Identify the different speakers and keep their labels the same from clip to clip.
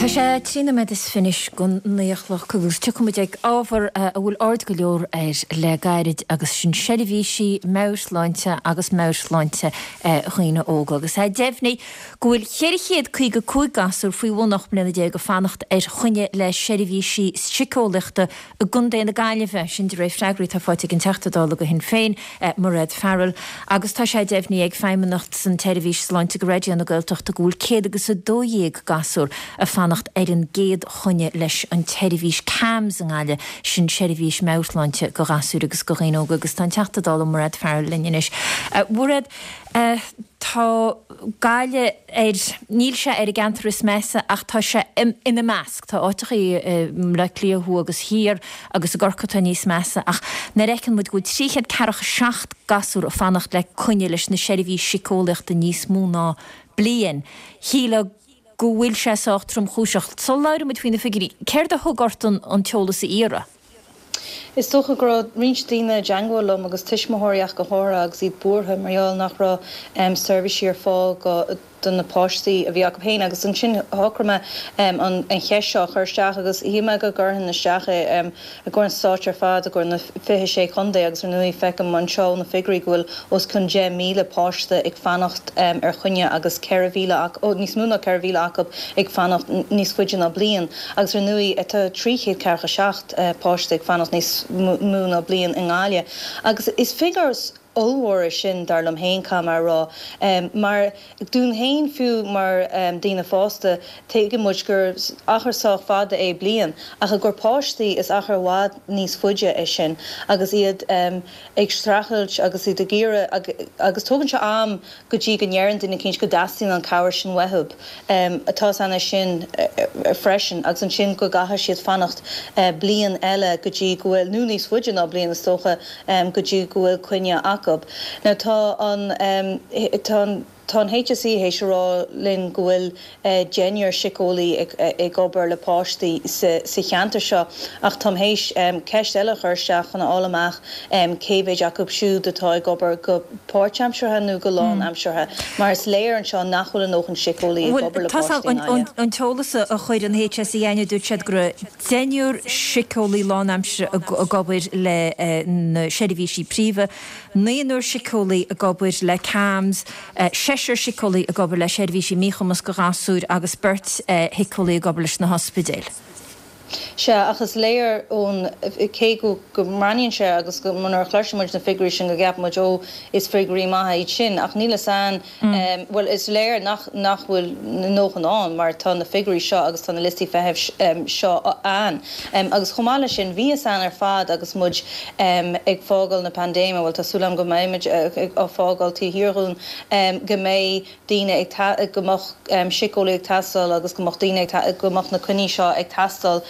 Speaker 1: Tá sé 13 nóiméad anois don naoi a chlog agus tiocfaidh muid ag ábhar a bhfuil aird go leor air le gairid agus sin seirbhísí meabhairshláinte agus meabhairshláinte dhaoine óga. Agus é deimhnithe go bhfuil 455 gasúr faoi bhun 18 mbliana ag fanacht ar choinne le seirbhísí siceolaíochta i gContae na Gaillimhe, sin de réir freagraí atá faighte ag an Teachta Dála do Shinn Féin, Mairéad Farrell, agus tá sé deimhnithe ag Feidhmeannacht san tSeirbhís Sláinte do Raidió na Gaeltachta go bhfuil 112 gasúr ag fanacht ar an gcéad choinne leis an tseirbhís CAMHS i nGaillimh, sin seirbhís meabhairshláinte do ghasúir agus do dhaoine óga agus tá an Teachta Dála Mairéad Farrell linn anois. A Mhairéad, tá Gaillimh ar, níl sé ar an gceantar is measa ach tá sé ina measc. Tá áiteachaí i mBleá Cliath thuaidh agus thiar agus i gCorcaigh atá níos measa ach nuair a fheiceann muid go bhfuil 347 gasúr ag fanacht le coinne leis na seirbhís siceolaíochta níos mó ná bliain, shílfeá go bhfuil sé sách tromchúiseach. Sula labhraíonn muid faoi na figiúirí, céard a thug ort an t-eolas a iarraidh?
Speaker 2: Is dócha go raibh roinnt daoine i dteangmháil liom agus tuismitheoirí ach go háirithe agus iad buartha mar gheall nach raibh seirbhísí ar fáil do na páistí a bhí acu féin agus ansin shocraigh mé an cheist seo a chur isteach agus shíl mé go gcuirfinn isteach é i gcomhair an stáit ar fad, i gcomhair na 26 chontae agus ar ndóigh feicim anseo ó na figiúirí go bhfuil os cionn 10,000 páiste ag fanacht ar choinne agus 4,000 acu, níos mó ná 4,000 acu ag fanacht níos faide ná bliain. Agus ar ndóigh tá 347 páiste ag fanacht níos mó ná bliain i nGaillimh. Agus is figiúr ollmhór é sin, dar liom féin, caithfidh mé a rá. Mar dúinn féin fiú mar daoine fásta, tuigeann muid gur achar sách fada é bliain, ach i gcomhair páistí is achar i bhfad níos faide é sin agus iad ag streachailt agus iad ag iarraidh agus tógann sé am go dtí go ndeireann duine eicínt go dteastaíonn an cabhair sin uathu. Tá a fhios againn é sin freisin agus ansin go gcaithfidh siad fanacht bliain eile go dtí go bhfuil, nó níos faide ná bliain is dócha, go dtí go bhfuil coinne acu. Now tá an, tá an, tá an HSE théis a rá linn go bhfuil deichniúr síceolaí ag obair le páistí sa cheantar seo ach táim théis ceist eile a chur isteach chun a fháil amach cé mhéid acu siúd atá ag obair go páirtaimseartha nó go lánaimseartha mar is léir anseo nach bhfuil a ndóthain síceolaí ag obair le páistí i
Speaker 1: nGaillimh. An t-eolas a chuir an HSE againne dúirt siad go raibh deichniúr síceolaí lánaimseartha ag obair le na seirbhísí príomha, naonúr síceolaí ag obair le CAMHS, seisear síceolaí ag obair le seirbhísí míchumas do ghasúir agus beirt shíceolaí ag obair leis na hospidéil.
Speaker 2: Sea, ach is léir ón, cé go go mbreathnaíonn sé agus go, nuair a chloiseann muid na figiúirí sin go gceapann muid ó is figiúirí maithe iad sin ach níl fhios a'inn, bhuel is léir nach, nach bhfuil a ndóthain ann mar tá na figiúirí seo agus tá na liostaí feithimh seo ann. Agus chomh maith leis sin bhí fhios a'inn ar fad agus muid ag fágáil na paindéime, bhuel tá súil agam go mbeimid á fágáil taobh thiar dhúinn, go mbeidh daoine ag, go mbeadh síceolaí ag teastáil agus go mbeadh daoine ag, go mbeadh na coinní seo ag teastáil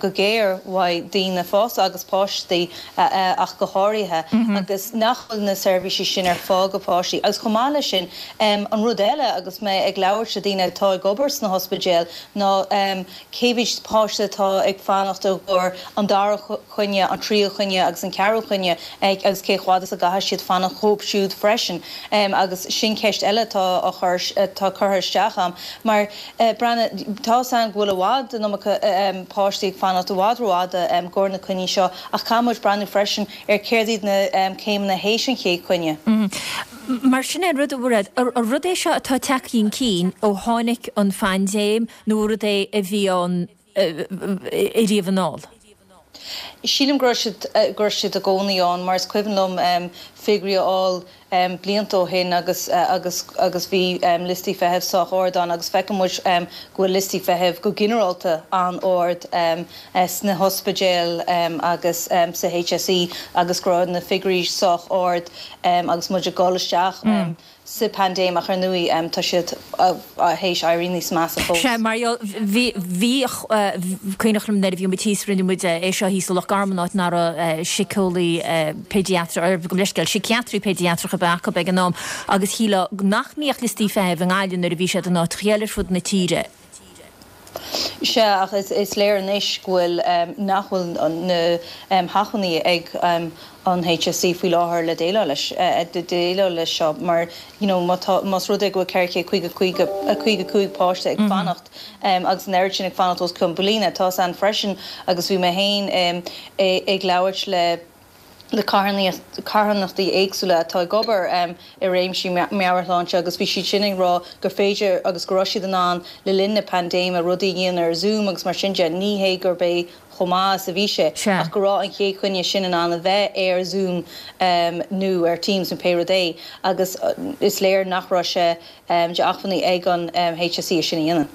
Speaker 2: go géar uaidh daoine fásta agus páistí ach go háirithe agus nach bhfuil na seirbhísí sin ar fáil go páistí. Agus chomh maith leis sin, an rud eile agus mé ag labhairt le daoine atá ag obair sna hospidéil ná cé mhéid páiste atá ag fanacht i gcomhair an dara coinne, an tríú coinne agus an ceathrú coinne agus cé chomh fada is a gcaithfidh siad fanacht dhóibh siúd freisin. Agus sin ceist eile atá á chur, atá curtha isteach a'm. Mar, breathnaigh, tá 'fhios a'inn go bhfuil i bhfad an iomarca páistí ag fanacht i bhfad rófhada i gcomhair na coinní seo ach caithfidh muid breathnú freisin ar céard iad na céimeanna théis an chéad choinne.
Speaker 1: Mar sin é an rud, a Mhairéad, an rud é seo atá tagtha chun cinn ó tháinig an phaindéim nó an rud é a bhí ann ariamh anall?
Speaker 2: Sílim go raibh siad, go raibh siad i gcónaí ann mar is cuimhin liom figiúirí a fháil blianta ó shin agus, agus, agus bhí liostaí feithimh sách ard ann agus feiceann muid go bhfuil liostaí feithimh go ginearálta an-ard sna hospidéil agus sa HSE agus go raibh na figiúirí sách ard agus muid ag dul isteach sa bpaindéim ach ar ndóigh tá siad théis éirí níos measa fós.
Speaker 1: Sea, mar gheall, bhí, bhíodh, cuimhneach liom nuair a bhí muid thíos, rinne muid é seo thíos i Loch Garman, áit nach raibh síceolaí péidiatrach, gabh mo leithscéal, síciatraí péidiatrach ar bith acu ag an am agus shílfeá nach mbíodh liostaí feithimh i nGaillimh nuair a bhí siad in áiteacha eile ar fud na tíre.
Speaker 2: Sea, ach is léir anois go bhfuil, nach bhfuil na hacmhainní ag an HSE faoi láthair le déileáil leis, déileáil leis seo mar you know má tá, más rud é go bhfuil 455 páiste ag fanacht agus an oiread sin ag fanacht os cionn bliana, tá's a'inn freisin agus bhí mé féin ag labhairt le le carthanachtaí éagsúla atá ag obair i réimsí meabhairshláinte agus bhí siad sin ag rá gur féidir agus go raibh siad in ann le linn na paindéime rudaí a dhéanamh ar Zoom agus mar sin de. Ní hé gurb é chomh maith is a bhí sé ach go raibh an chéad choinne sin in ann a bheith ar Zoom nó ar Teams nó pé rud é agus is léir nach raibh sé de acmhainní ag an HSE é sin a dhéanamh.